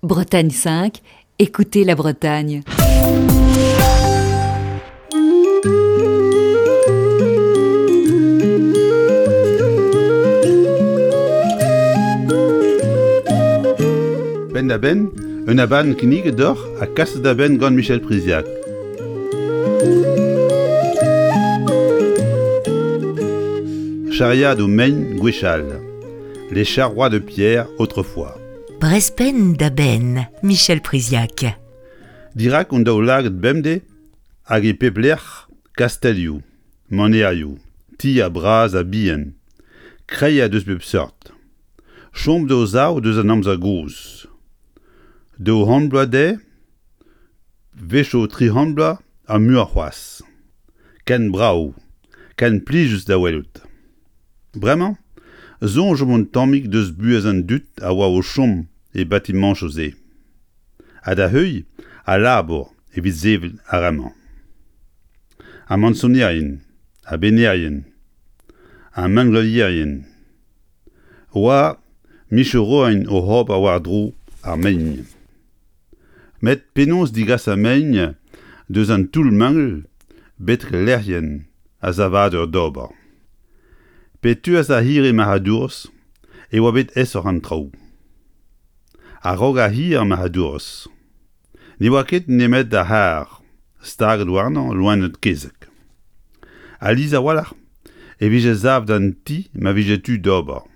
Bretagne 5, écoutez la Bretagne. Penn-da-benn, un abadenn kinniget deoc'h ha kaset da benn gant Michel Priziac. Chariadoù mein gwechall. Les charrois de pierre autrefois. Brezpenn da benn, Michel Priziac. Dirak hon daoulagad bemdez hag e pep lec'h kastellioù, manerioù, tier bras ha bihan, kreier deus pep seurt. Chom d'o sav deus an amzer gozh. 200 bloaz dezhe, 'wechoù 300 bloaz ha muioc'h c'hoazh. Ken brav, ken plijus da welout. Bremañ, soñjomp un tammig deus buhez an dud a oa o chom e batimañchoù-se. Ha da heuilh al labour evit sevel ar re-mañ. Ar mañsonerien, ar bennerien, ar mengleuzierien 'oa micherourien oc'h ober war-dro ar mein. Met penaos degas ar mein deus an toull-mangl betek lec'hienn ar savadur d'ober? Pe teuas ar c'hirri marc'hadourezh e oa bet aesoc'h an traoù. A-raok ar c'hirri marc'hadourezh ne oa ket nemet ar c'harr staget warnañ loened-kezeg. Alies a-walc'h e vije savet an ti ma vije tu d'ober.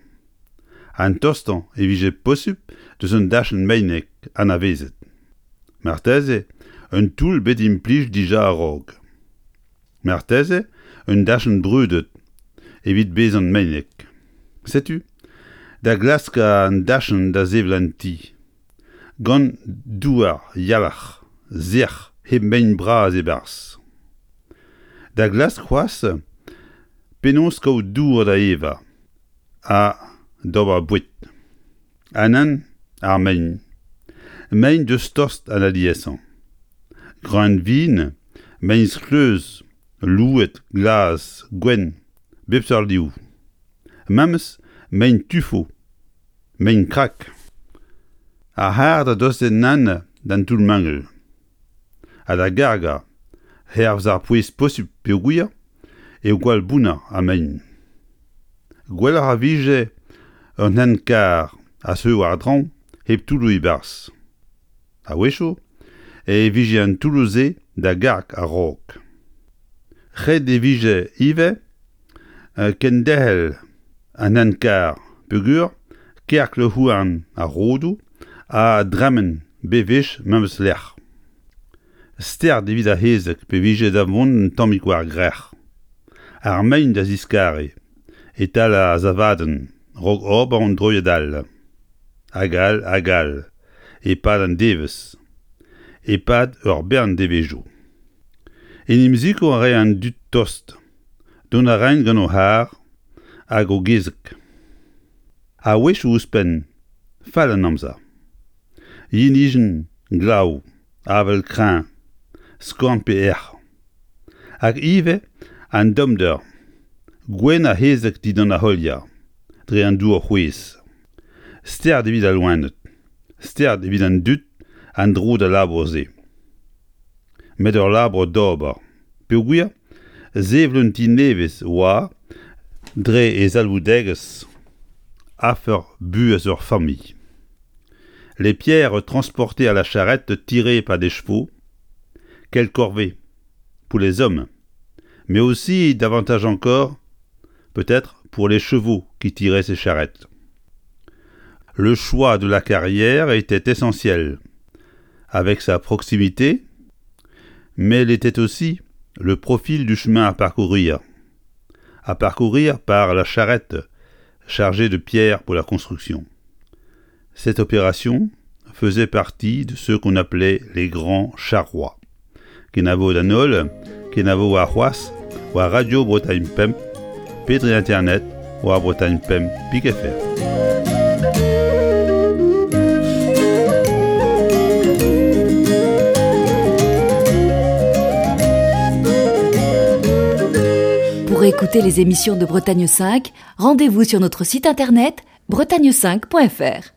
An tostañ e vije posupl deus un dachenn meinek anavezet. Marteze un toull bet implijet dija a-raok. Marteze un dachenn brudet evit bezañ meinek. Setu da glask an dachenn da sevel an ti. Gant douar yalc'h sec'h hep mein bras e-barzh. Da glask c'hoazh penaos kaout dour da evañ. Ha d'ober boued. Ha nann, ar mein. Mein deus tost an aliesañ. Greun-vin, mein-skleuz, louet, glas, gwenn, bep seurt liv. Memes mein tufo, mein krak. Ar c'harr da dostaat nann d'an toull-mangel. Ha da gargañ hervez ar pouez posupl peogwir eo gwall bounner ar mein. Gwelloc'h a vije un hent-karr a zeu war-draoñ hep toulloù e-barzh. A-wechoù e vije an toulloù-se da garg a-raok. Ret e vije ivez kenderc'hel an hent-karr peogwir kerkl-houarn ar rodoù a dremen bewech memes lec'h. Start evit ar c'hezeg pe vije da vont un tammig war-grec'h. Ar mein da ziskariñ e-tal ar savadenn 'raok ober un droiad all. Hag all hag all e-pad an devezh, e-pad ur bern devezhioù. En em sikour a rae an dud tost, dont a raent gant o c'harr hag o gezeg. A-wechoù ouzhpenn, fall an amzer. Yenijenn, glav, avel kreñv, skorn pe erc'h. Hag ivez an dommder, gwenn ar c'hezeg dindan ar c'holier, dre an dour c'hwezh. Start evit al loened, start evit an dud an dro d'al labour-se. Met ur labour d'ober, peogwir sevel un ti nevez 'oa dre e zalvoudegezh afer buhez ur familh. Les pierres transportées à la charrette tirée par des chevaux, quelle corvée pour les hommes, mais aussi davantage encore peut-être pour les chevaux qui tiraient ces charrettes. Le choix de la carrière était essentiel, avec sa proximité, mais il était aussi le profil du chemin à parcourir, à parcourir par la charrette chargée de pierres pour la construction. Cette opération faisait partie de ce qu'on appelait les grands charrois. Kenavo d'an holl, kenavo warc'hoazh war Radio Bretagne Pemp pe dre internet war Bretagne Pemp pik fr. Pour écouter les émissions de Bretagne 5, rendez-vous sur notre site internet bretagne5.fr.